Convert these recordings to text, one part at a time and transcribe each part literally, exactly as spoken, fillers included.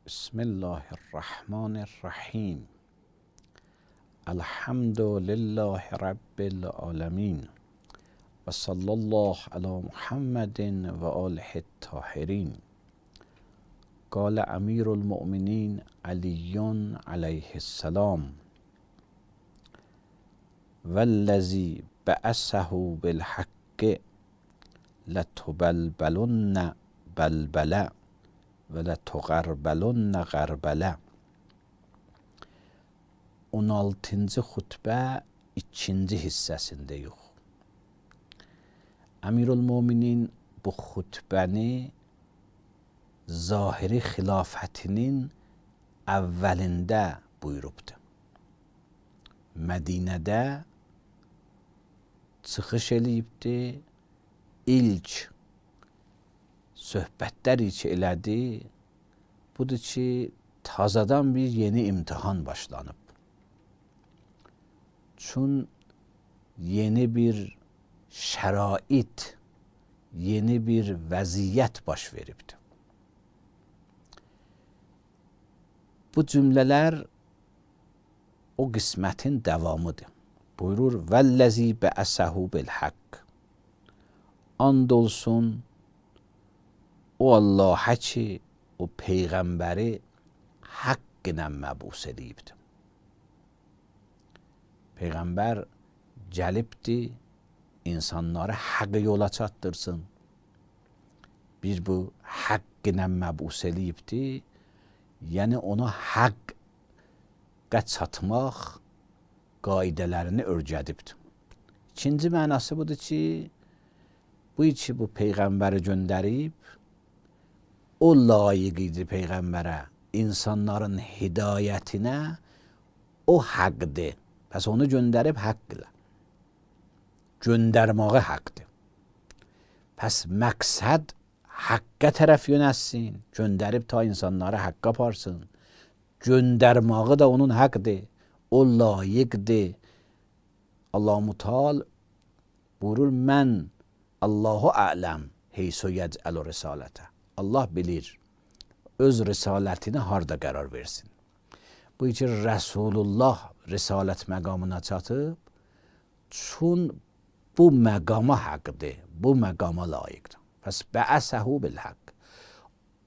بسم الله الرحمن الرحیم. الحمد لله رب العالمین و صلی الله علی محمد و آله الطاهرین. قال امیر المؤمنین علی علیه السلام: والذی بعثه بالحق لتبلبلن بلبله وَلَتُغَرْبَلُنَّ غَرْبَلَ. on altıncı xutbə ikinci hissəsindəyik. Əmirül Möminin bu xutbəni zahiri xilafətinin əvvəlində buyurubdur. Mədinədə çıxış eləyibdi, ilk söhbətlər ki elədi, budur ki, tazadan bir yeni imtihan başlanıb. Çün yeni bir şərait, yeni bir vəziyyət baş veribdir. Bu cümlələr o qismətin davamıdır. Buyurur: "Vəllazi bə'əsəhu bil-haqq." And olsun o Allah'a ki, o peyğəmbəri haqq ilə məbus edibdir. Peyğəmbər gəlibdi, insanları haqq yola çatdırsın. Bir bu haqq ilə məbus edibdi, yəni onu haqqa çatmaq qaidələrini öyrədibdir. İkinci mənası budur ki, bu ki bu peyğəmbəri göndərib, o layiq idi peyğəmbərə, insanların hidayətinə, o haqqdır. Pəs onu göndərib haqq ilə. Göndərməyi haqqdır. Pəs məqsəd haqqa tərəf yönəlsin, göndərib ta insanları haqqa aparsın. Göndərməyi da onun haqqdır, o layiqdir. Allah-u Müteal buyurur: mən Allahu ələm heysu yec'alu risalətə. Allah bilir öz risalətini harda qərar versin. Bu ki Rəsulullah risalət məqamına çatıb, çün bu məqama haqqdır, bu məqama layiqdir. Pəs bə'əsəhu bil-haqq.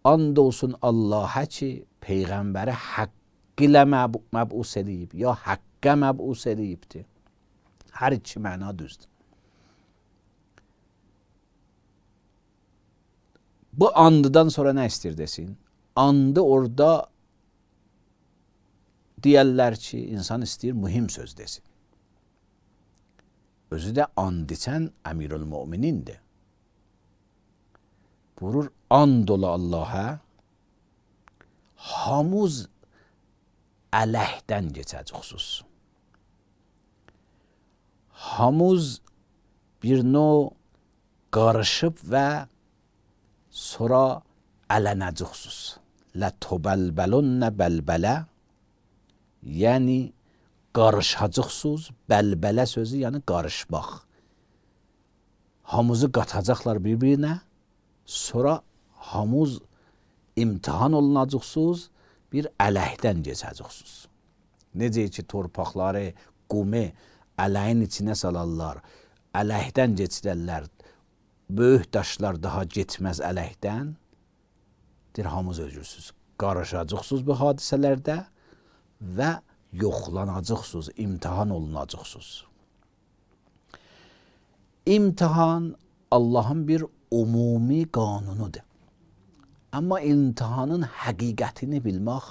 And olsun Allah'a ki, peyğəmbəri haqq ilə məbus edib, ya haqqa məbus edibdir. Hər iki məna düzdür. Bu andıdan sonra nə istir desin? Andı orada deyərlər ki, insan istəyir mühim söz desin. Özü də and içən Əmirül Möminindir. Buyurur: and ola Allah'a, hamuz ələhdən keçəcəksiniz. Hamuz bir növ qarışıb və sonra ələnəcəksiniz. Lətubəlbəlunnə bəlbələ, yəni qarışacaqsınız. Bəlbələ sözü yəni qarışmaq. Hamuzu qatacaqlar bir-birinə, sonra hamuz imtihan olunacaqsınız, bir ələkdən keçəcəksiniz. Necə ki torpaqları, qumu ələyin içinə salarlar, ələkdən keçirərlər, böyük daşlar daha getməz ələkdən, dir hamuz özürsünüz. Qarışacaqsınız bu hadisələrdə və yoxlanacaqsınız, imtihan olunacaqsınız. İmtihan Allahın bir umumi qanunudur. Amma imtihanın həqiqətini bilmək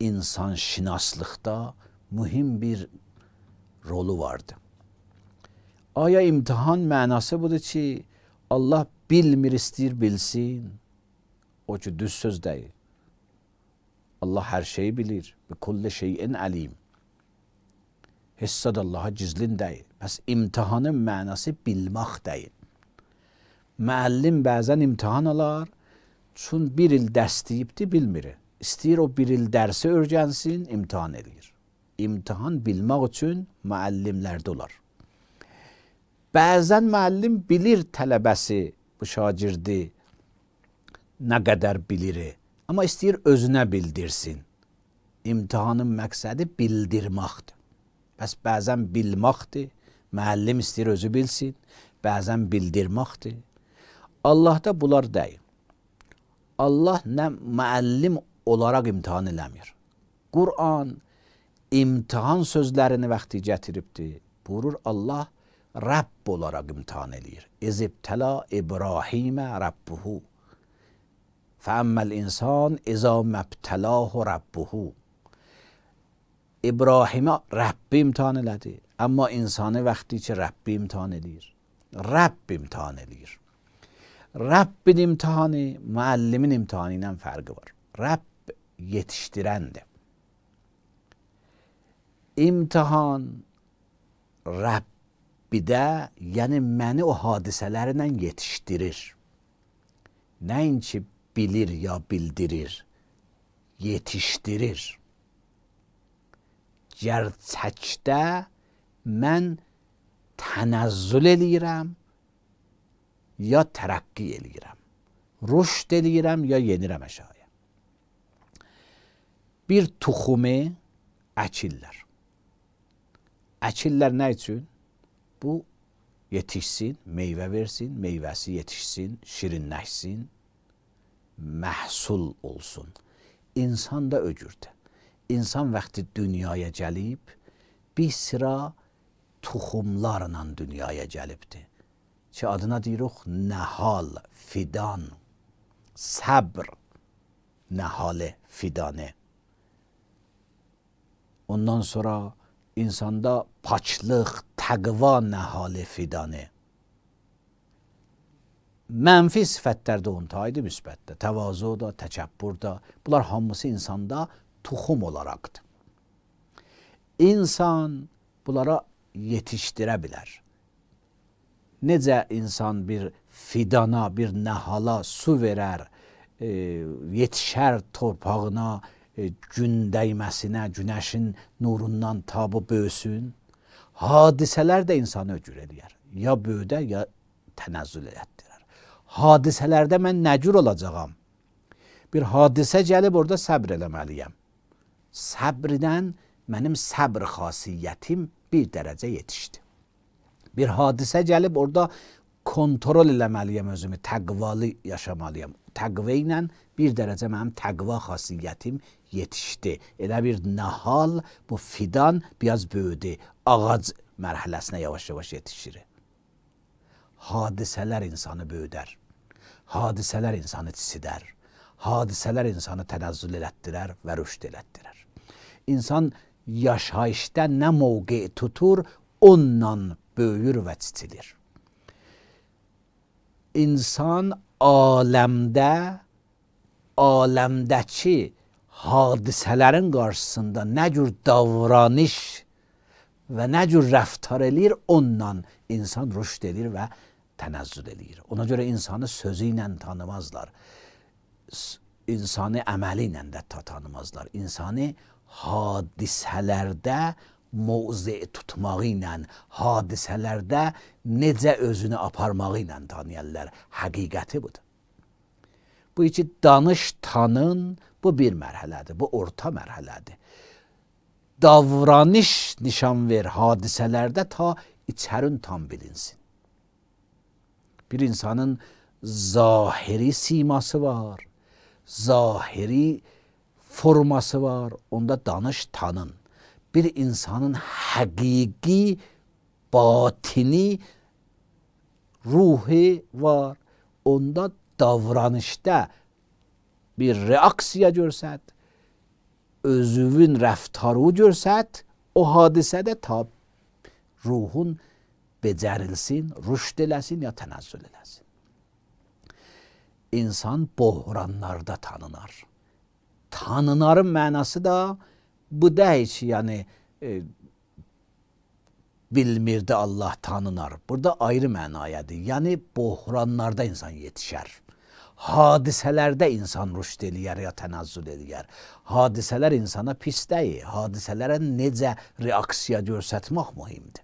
insan şinaslıqda mühim bir rolu vardır. Aya imtihan mənası budur ki, Allah bilmir istəyir bilsin, o ki düz söz deyil. Allah hər şeyi bilir. Bi kulli şeyin əlim. Hissad Allah'a gizlin deyil. Bəs imtihanın mənası bilmək deyil. Müəllim bəzən imtihan alar, çün bir il dərs deyibdi, bilmir. İstəyir o bir il dərsi öyrənsin, imtihan edir. İmtihan bilmək üçün müəllimlərdə olar. Bəzən müəllim bilir tələbəsi, bu şagirdi nə qədər bilir, Amma istəyir özünə bildirsin. İmtahanın məqsədi bildirməkdir. Bəs bəzən bilməkdir. Müəllim istəyir özü bilsin. Bəzən bildirməkdir. Allahda bunlar deyil. Allah nə müəllim olaraq imtahan eləmir. Quran imtahan sözlərini vaxtı gətiribdir. Buyurur Allah Rəbb olaraq imtahan eləyir. İzibtəla İbrahimə Rəbbuhu. Fəəmməl insan izə məbtəlahu Rəbbuhu. İbrahimə Rəbbi imtahan elədi. Amma insanı vaxtı ki Rəbbi imtahan eləyir. Rəbb imtahan eləyir. Rəbbin imtihanı müəllimin imtihanı ilə fərqi var. Rəbb yetişdirəndir. İmtihan Rəbbidə, yəni məni o hadisələrlə yetişdirir. Nəinki bilir ya bildirir, yetişdirir. Gerçəkdə mən tənəzzül eləyirəm, ya tərəqqi eləyirəm. Rüşd eləyirəm, ya yenirəm aşağıya. Bir tuxumu əkirlər. Əkirlər nə üçün? Bu yetişsin, meyvə versin, meyvəsi yetişsin, şirinləşsin, məhsul olsun. İnsan da öcürdür. İnsan vaxtı dünyaya gəlib, bir sıra tuxumlarla dünyaya gəlibdir. Ki adına deyirik nəhal, fidan, səbr, nəhalə, fidanə. Ondan sonra insanda paçlıq, təqva nəhalə, fidanə. Mənfi sifətlər də ontaydı müsbətdə. Təvazu da, təkəbbür da. Bunlar hamısı insanda tuxum olaraqdır. İnsan bunlara yetişdirə bilər. Necə insan bir fidana, bir nəhala su verər, e, yetişər torpağına, e, gün dəyməsinə, günəşin nurundan tabı böyüsün. Hadisələr də insanı öcür eləyər. Ya böyüdə, ya tənəzzül etdirər. Hadisələrdə mən nə cür olacağam? Bir hadisə gəlib orada səbr eləməliyəm. Səbrdən mənim səbr xasiyyətim bir dərəcə yetişdi. Bir hadisə gəlib orada kontrol eləməliyəm özümü, təqvalı yaşamalıyam. Təqva ilə bir dərəcə mənim təqva xasiyyətim yetişdi. Elə bir nəhal, bu fidan biraz böyüdü. Ağac mərhələsinə yavaş-yavaş yetişir. Hadisələr insanı böyüdər. Hadisələr insanı tisidər. Hadisələr insanı tənəzzül elətdirər və rüşd elətdirər. İnsan yaşayışda nə mövqe tutur, onunla böyür və çitilir. İnsan aləmdə, aləmdəki hadisələrin qarşısında nə cür davranış və nə cür rəftar eləyir, onunla insan rüşd edir və tənəzzül eləyir. Ona görə insanı sözü ilə tanımazlar. İnsanı əməli ilə də tanımazlar. İnsanı hadisələrdə mövzi tutmağı ilə, hadisələrdə necə özünü aparmağı ilə tanıyarlar. Həqiqəti budur. Bu iki danış, tanın, bu bir mərhələdir, bu orta mərhələdir. Davranış nişan ver hadisələrdə ta içərin tam bilinsin. Bir insanın zahiri siması var, zahiri forması var, onda danış, tanın. Bir insanın həqiqi, batini, ruhi var, onda davranışda bir reaksiya görsət, özünün rəftarı görsət, o hadisədə ta ruhun becərilsin, rüşd eləsin ya tənəzzül eləsin. İnsan bohranlarda tanınar. Tanınarın mənası da bu deyil ki, yəni e, bilmirdi Allah tanınar. Burada ayrı mənayadır. Yəni bohranlarda insan yetişər. Hadisələrdə insan rüşd eləyər ya tənəzzül eləyər. Hadisələr insana pis deyil. Hadisələrə necə reaksiya göstərmək mühimdir.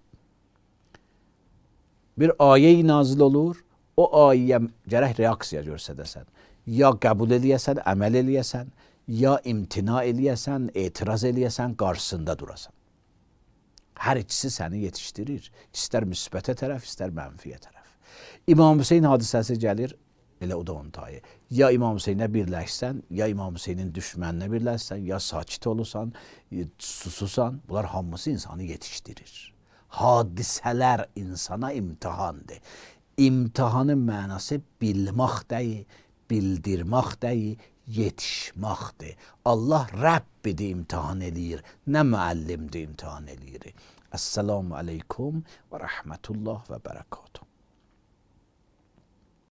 Bir ayə nazil olur, o ayəyə gərək reaksiya göstərəsən. ya qəbul eləyəsən, əməl eləyəsən, ya imtina eləyəsən, etiraz eləyəsən, qarşısında durasan. Hər ikisi səni yetişdirir. İstər müsbətə tərəf, istər mənfiyə tərəf. İmam Hüseyin hadisəsi gəlir, elə o da onun tayı. Ya İmam Hüseynə birləşsən, ya İmam Hüseynin düşməninə birləşsən, ya sakit olursan, sususan, bunlar hamısı insanı yetişdirir. Hadisələr insana imtihandır. İmtihanın mənası bilmək deyil, bildirmək deyil, yetişməkdir. Allah Rəbbidir imtihan eləyir, nə müəllimdir imtihan eləyir. Əssalamu aleykum və rəhmətullah və bərəkatuhu.